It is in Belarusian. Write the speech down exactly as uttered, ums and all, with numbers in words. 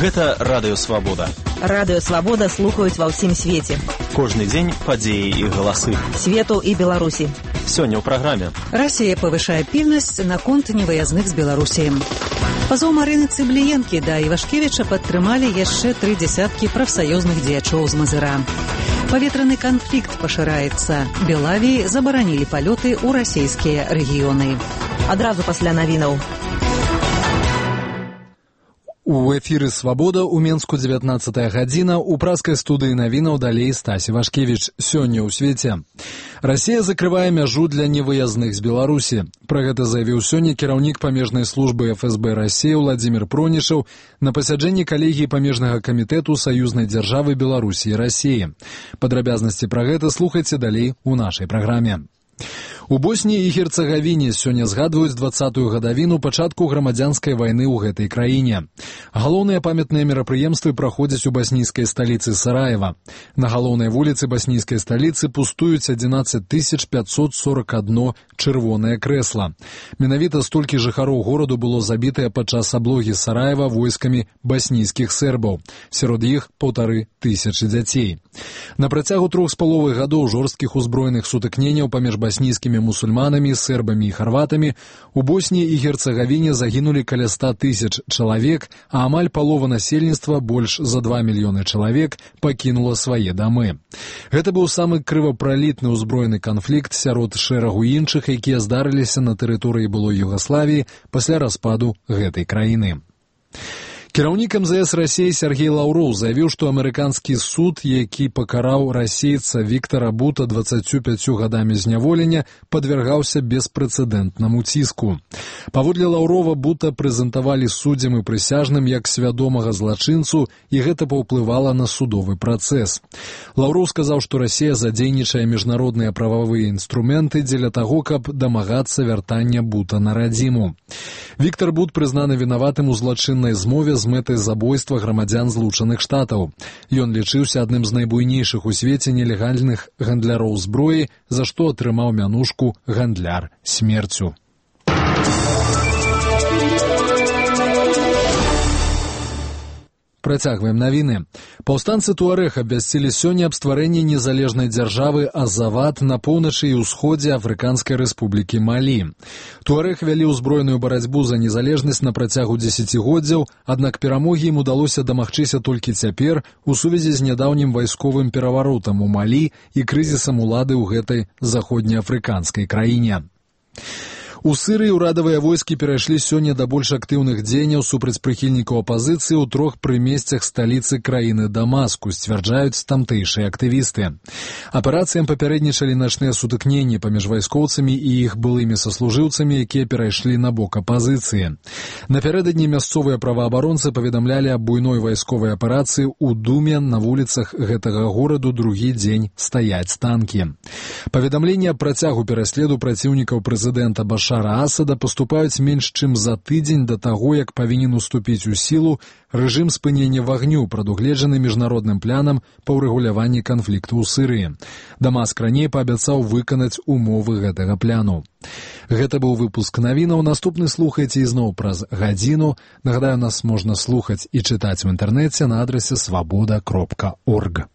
Гэта Радыё Свабода. Радыё Свабода слухаюць ва ўсім свеце. Кожны дзень падзеі і галасы. Свету і Беларусі. Сёння ў праграме. Расія павышае пільнасць наконт невыязных з Беларусі. Пазоў Марыны Цыбліенкі да Івашкевіча падтрымалі яшчэ тры дзясяткі прафсаюзных дзеячоў з Мазыра. Паветраны канфлікт пашыраецца. Белавіі забаранілі палёты ў расійскія рэгіёны. Адразу пасля навінаў. У эфіры «Свабода» у Менску дзевятнаццатая гадзіна. У праскай студыі навінаў далей Стась Івашкевіч. Сёння ў свеце. Расія закрывае мяжу для невыязных з Беларусі. Пра гэта заявіў сёння кіраўнік памежнай службы эф эс бэ Расіі Владзімір Пронішаў на пасяджэнні калегіі памежнага камітэту саюзнай дзяржавы Беларусі і Расіі. Падрабязнасці пра гэта слухайце далей у нашай праграме. У Босніі і Герцагавіне сёння згадваюць дваццатую гадавіну пачатку грамадзянскай вайны ў гэтай краіне. Галоўныя памятныя мерапрыемствы праходзяць у баснійскай сталіцы Сараева. На галоўнай вуліцы баснійскай сталіцы пустуюць адзінаццаць тысяч пятьсот сорок одно чырвонае крэсла. Менавіта столькі жыхароў гораду было забітае падчас аблогі Сараева войскамі баснійскіх сербаў. Сярод іх паўтары тысячы дзяцей. На працягу трох з паловай гадоў жорсткіх узброеных сутыкненняў паміж баснійскімі мусульманамі, сербамі і харватамі у Босніі і Герцагавіне загінулі каля ста тысяч чалавек, а амаль палова насельніцтва, больш за два мільёны чалавек, пакінула свае дамы. Гэта быў самы крывапралітны ўзброены канфлікт сярод шэрагу іншых, якія здарыліся на тэрыторыі былой Югаславіі пасля распаду гэтай краіны. Кіраўнік эм зэ эс Расіі Сергей Лаўроў заявіў, што амерыканскі суд, які пакараў расейца Віктара Бута дваццаццю пяццю гадамі зняволення, падвяргаўся беспрэцэдэнтнаму ціску. Паводле Лаўрова Бута прэзентавалі суддзям і прысяжным як свядомага злачынцу, і гэта паўплывала на судовы працэс. Лаўроў сказаў, што Расія задзейнічае міжнародныя прававыя інструменты дзеля таго, каб дамагацца вяртання Бута на радзіму. Віктар Бут прызнаны вінаватым у злачыннай змове з мэтай забойства грамадзян Злучаных Штатаў. Ён лічыўся адным з найбуйнейшых у свеце нелегальных гандляроў зброі, за што атрымаў мянушку «гандляр смерцю». Працягваем навіны. Паўстанцы Туарэг абвясцілі сёння аб стварэнні незалежнай дзяржавы Азават на поўначы і ўсходзе Афрыканскай рэспублікі Малі. Туарэг вялі ўзброеную барацьбу за незалежнасць на працягу дзесяцігоддзяў, аднак перамогі ім удалося дамагчыся толькі цяпер у сувязі з нядаўнім вайсковым пераваротам у Малі і крызісам улады ў гэтай заходнеафрыканскай краіне. У Сырыі ўрадавыя войскі перайшлі сёння да больш актыўных дзеянняў супраць прыхільнікаў апазіцыі ў трох прымесцях сталіцы краіны Дамаску, сцвярджаюць тамтэйшыя актывісты. Аперацыям папярэднічалі начныя сутыкненні паміж вайскоўцамі і іх былымі саслужыўцамі, якія перайшлі на бок апазіцыі. Напярэдадні мясцовыя праваабаронцы паведамлялі аб буйной вайсковай аперацыі ў Думе. На вуліцах гэтага гораду другі дзень стаяць танкі. Паведамленні аб працягу пераследу праціўнікаў прэзідэнта Башара Асада паступаюць менш чым за тыдзень да таго, як павінен уступіць у сілу рэжым спынення вагню, прадугледжаны міжнародным планам па ўрэгуляванні канфлікту ў Сырыі. Дамаск раней паабяцаў выканаць умовы гэтага пляну. Гэта быў выпуск навінаў. Наступны слухайце ізноў праз гадзіну. Нагадаю, нас можна слухаць і чытаць у інтэрнэце на адрасе свабода кропка орг.